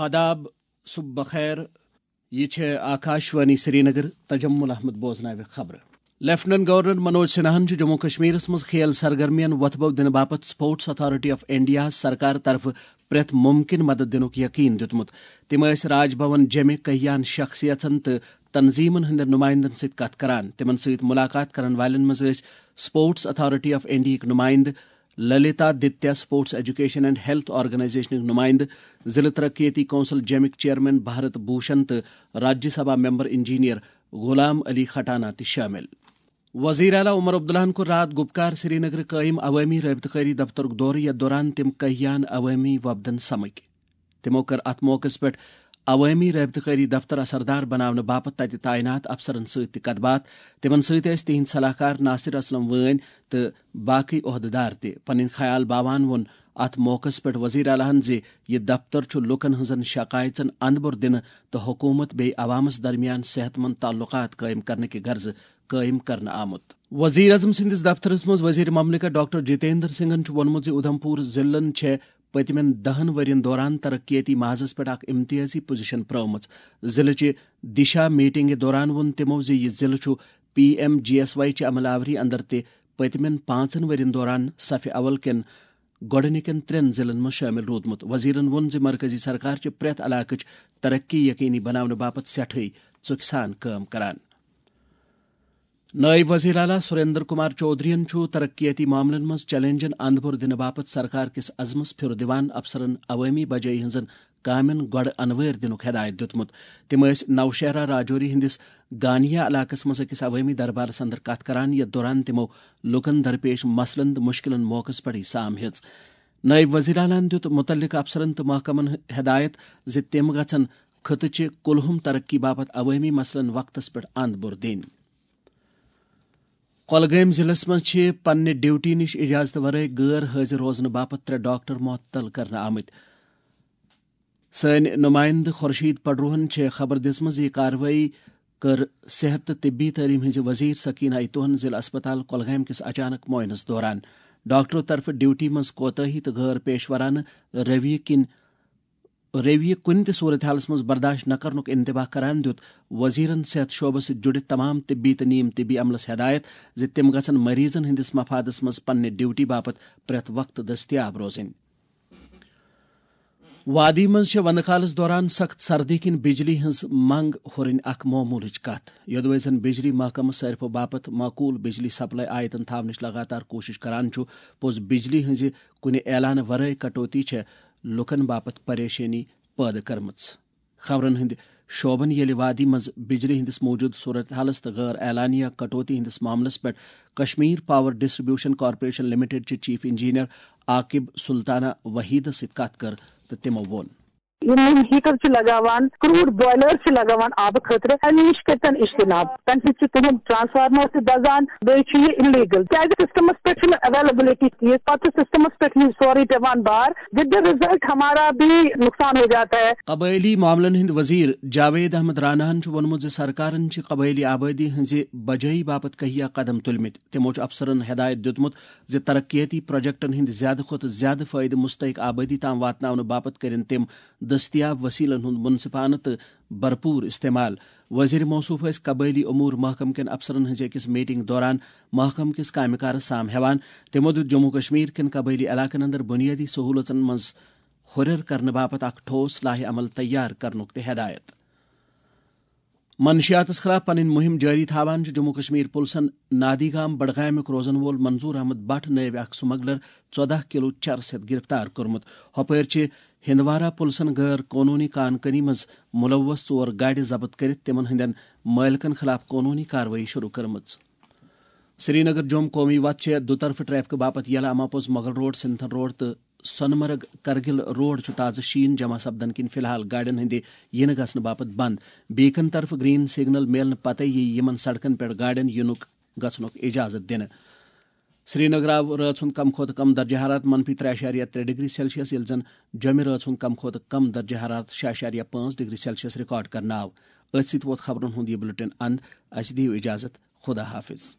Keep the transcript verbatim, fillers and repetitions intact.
آداب، صبح بخیر۔ یہ چھے آکاشوانی سرینگر۔ تجمل احمد بوزناوِ خبرٕ۔ لیفٹیننٹ گورنر منوج سنہاہن چھُ جموں کشمیرس منٛز کھیل سرگرمین وۄتھبو دِنہٕ باپتھ اسپورٹس اتھارٹی آف انڈیا سرکار طرفہٕ پرٛٮ۪تھ ممکن مدد دِنُک یقین دیُتمُت۔ تِم ٲسۍ راج بھون جیمہِ کہیان شخصیژن تہٕ تنظیمن ہٕنٛدٮ۪ن نمائندن سۭتۍ کتھ کران۔ تِمن سۭتۍ ملاقات کرن والٮ۪ن منٛز ٲسۍ اسپورٹس اتھارٹی آف انڈیاہٕکۍ نمائندٕ، Lalitaditya sports education and health آرگنائزیشنٕکۍ نمائندٕ، ضلع ترقیتی کونسل جیمٕکۍ چیئرمین بھارت بھوشن تہٕ راجیہ سبھا ممبر انجینئر غلام علی کھٹانہ تہِ شٲمِل۔ وزیر اعلیٰ عمر عبداللہن کوٚر راتھ گُپکار سرینگرٕ قٲیِم عوٲمی رٲبطہٕ کٲری دفترُک دورٕ، یتھ دوران تِم کہیان عوٲمی وفدن سمکھۍ۔ تِمو کٔر اتھ موقعس پٮ۪ٹھ عوٲمی رٲبطہٕ کٲری دفتر اثردار بناونہٕ باپتھ تتہِ تعینات افسرن سۭتۍ تہِ کتھ باتھ۔ تِمن سۭتۍ ٲسۍ تِہنٛدۍ صلاح کار ناصر اسلم وٲنۍ تہٕ باقٕے عہدٕدار تہِ۔ پنٕنۍ خیال باوان ووٚن اتھ موقعس پٮ۪ٹھ وزیر اعلیٰ ہن زِ یہِ دفتر چھُ لوٗکن ہٕنٛزن شکایژن اندبر دِنہٕ تہٕ حکومت بیٚیہِ عوامس درمیان صحت مند تعلقات قٲیِم کرنہٕ کہِ غرضہٕ قٲیِم کرنہٕ آمُت۔ وزیر اعظم سٕنٛدِس دفترس منٛز وزیر مملکت ڈاکٹر جتیندر سنگھن چھُ ووٚنمُت زِ اُدھمپور ضلعن چھےٚ پٔتمٮ۪ن دَہَن ؤرین دوران ترقیتی محاذس پٮ۪ٹھ اکھ امتیازی پوزیشن پرٲومٕژ۔ ضلعہٕ چہِ دِشا میٹنگہِ دوران ووٚن تِمو زِ یہِ ضلعہٕ چھُ P M G S Y چہِ عمل آوری اندر تہِ پٔتمٮ۪ن پانٛژن ؤرین دوران صفہِ اول کٮ۪ن گۄڈٕنِکٮ۪ن ترٛٮ۪ن ضلعن منٛز شٲمِل روٗدمُت۔ وزیرن ووٚن زِ مرکزی سرکار چھِ پرٛٮ۪تھ علاقٕچ ترقی یقینی بناونہٕ باپتھ سٮ۪ٹھٕے ژُکھِ سان کٲم کران۔ نٲیِب وزیر اعلیٰ سریندر کمار چودھرین چھُ ترقیتی معاملن منٛز چیلنجن اندپور دِنہٕ باپتھ سرکار کِس عزمس پھِرٕ دِوان افسرن عوٲمی بجٲیی ہٕنٛزن کامٮ۪ن گۄڈٕ انوٲرۍ دِنُک ہدایت دیُتمُت۔ تِم ٲسۍ نوشہرہ راجوری ہٕنٛدِس گانیا علاقس منٛز أکِس عوٲمی دربارس اندر کتھ کران، یتھ دوران تِمو لوٗکن درپیش مسلن تہٕ مشکلن موقعس پٮ۪ٹھٕے سام ہیٚژ۔ نٲیِب وزیر اعلیٰ ہن دیُت مُتعلقہٕ افسرن تہٕ محکمن ہدایت زِ تِم گژھن خطہٕ چہِ کُلہُم ترقی باپتھ عوٲمی مسلن وقتس پٮ۪ٹھ اند بوٚر دِنۍ۔ کۄلگٲمۍ ضلعس منٛز چھِ پننہِ ڈیوٹی نِش اجازتہٕ ورٲے غٲر حٲضِر روزنہٕ باپتھ ترٛےٚ ڈاکٹر معطل کرنہٕ آمٕتۍ۔ سٲنۍ نُمایندٕ خورشید پڈروہن چھےٚ خبر دِژمٕژ، یہِ کاروٲیی کٔر صحت تہٕ طبی تعلیٖم ہٕنٛزِ وزیر سکینہ ایتوہن ضلع اسپتال کۄلگامۍ کِس اچانک معائنس دوران۔ ڈاکٹرو طرفہٕ ڈیوٹی منٛز کوتاہی تہٕ غٲر پیشورانہٕ رویہِ کِنۍ رویہِ کُنہِ تہِ صورتحالس منٛز برداشت نہٕ کرنُک انتباہ کران دیُت وزیرن صحت شعبس سۭتۍ جُڑِتھ تمام طبی تہٕ نیم طبی عملس ہدایت زِ تِم گژھن مریضن ہٕنٛدِس مفادس منٛز پننہِ ڈیوٹی باپتھ پرٛٮ۪تھ وقتہٕ دٔستیاب روزٕنۍ۔ وادی منٛز چھےٚ وندٕ کالس دوران سخت سردی کِنۍ بجلی ہٕنٛز منگ ہُرٕنۍ اکھ معموٗلٕچ کتھ۔ یوٚدوے زن بجلی محکمہٕ صٲرفو باپتھ معقول بجلی سپلائی آیتن تھاونٕچ لگاتار کوٗشش کران چھُ، پوٚز بجلی ہٕنٛزِ کُنہِ اعلانہٕ ورٲے کٹوتی چھےٚ لوٗکن باپتھ پریشٲنی پٲدٕ کٔرمٕژ۔ خبرن ہٕنٛدِ شعبن ییٚلہِ وادی منٛز بجلی ہٕنٛدِس موٗجوٗدٕ صورتحالس تہٕ غٲر اعلانیہ کٹوتی ہٕنٛدِس معاملس پٮ۪ٹھ Kashmir power distribution corporation limited چہِ چیف انجینئر عاقب سلطانہ وحیدس سۭتۍ کتھ کٔر تہٕ تِمو ووٚن۔ یِم یِم ہیٹر چھِ لگاوان، کروڈ بوائلر چھِ لگاوان آبہٕ خٲطرٕ، اَمہِ نِش کٔرۍتن اجتناب۔ تَمہِ سۭتۍ چھِ تِہُنٛد ٹرانسفارمر تہِ دَزان، بیٚیہِ چھُ یہِ اِلیٖگل۔ کیازِ سسٹمس پٮ۪ٹھ چھُنہٕ اویلیبلٹی ٹھیٖک، پتہٕ چھُ سسٹمس پٮ۪ٹھ یہِ سورُے پٮ۪وان بار، with the result ہمارا بھی نقصان ہو جاتا ہے۔ قبٲئلی معاملن ہٕنٛدۍ وزیر جاوید احمد راناہن چھُ ووٚنمُت زِ سرکارن چھِ قبٲئلی آبٲدی ہٕنٛزِ بجٲیی باپتھ کہیا قدم تُلمٕتۍ۔ تِمو چھُ افسرن ہدایت دیُتمُت زِ ترقیتی پروجیکٹن ہٕنٛدۍ زیادٕ کھۄتہٕ زیادٕ فٲیدٕ مستحق آبٲدی تام واتناونہٕ باپتھ کٔرِن تِم دٔستیاب وسیلن ہُنٛد منصفانہٕ تہٕ بھرپور استعمال۔ وزیر موصوف ٲسۍ قبٲئلی امور محکمہٕ کٮ۪ن افسرن ہٕنٛزِ أکِس میٹنگ دوران محکمہٕ کِس کامہِ کارس سام ہٮ۪وان۔ تِمو دیُت جموں کشمیر کٮ۪ن قبٲئلی علاقن اندر بنیٲدی سہولژن منٛز ہُرٮ۪ر کرنہٕ باپتھ اکھ ٹھوس لائحہ عمل تیار کرنُک تہِ ہدایت۔ منشیاتس خلاف پنٕنۍ مُہِم جٲری تھاوان چھُ جموں کشمیر پُلسن نادی گام بڈگامیُک روزن وول منظور احمد بٹ نٲوۍ اکھ سمگلر ژۄدہ کلو چرس ہٮ۪تھ گرفتار کوٚرمُت۔ ہۄپٲرۍ چھِ ہندوارہ پُلسن غٲر قونوٗنی کان کٲنی منٛز ملوث ژور گاڑِ ضبط کٔرِتھ تِمن ہٕنٛدٮ۪ن مٲلکن خلاف قونوٗنی کاروٲیی شروع کٔرمٕژ۔ سرینگر جوم قومی وتھ چھےٚ دُطرفہٕ ٹریفکہٕ باپتھ یلہٕ، اما پوٚز مغل روڈ، سنتھن روڈ تہٕ سۄنہٕ مرگ کرگِل روڈ چھُ تازٕ شیٖن جمع سپدن کِنۍ فی الحال گاڑٮ۪ن ہٕنٛدِ یِنہٕ گژھنہٕ باپتھ بنٛد۔ بیکن طرفہٕ گرین سگنل میلنہٕ پتے یِیہِ یِمن سڑکن پٮ۪ٹھ گاڑٮ۪ن یِنُک گژھنُک اجازت دِنہٕ۔ سرینگر آو رٲژ ہُنٛد کم کھۄتہٕ کم درجہ حرارت منفی ترٛےٚ اعشاریہ ترٛےٚ ڈگری سیلسیس، ییٚلہِ زن جوٚمہِ رٲژ ہُنٛد کم کھۄتہٕ کم درجہ حرارت شےٚ اعشاریہ پانٛژھ ڈگری سیلسیس ریکارڈ کرنہٕ آو۔ أتھۍ سۭتۍ ووت خبرن ہُنٛد یہِ بلیٹن اند۔ اسہِ دِیِو اجازت۔ خدا حافظ۔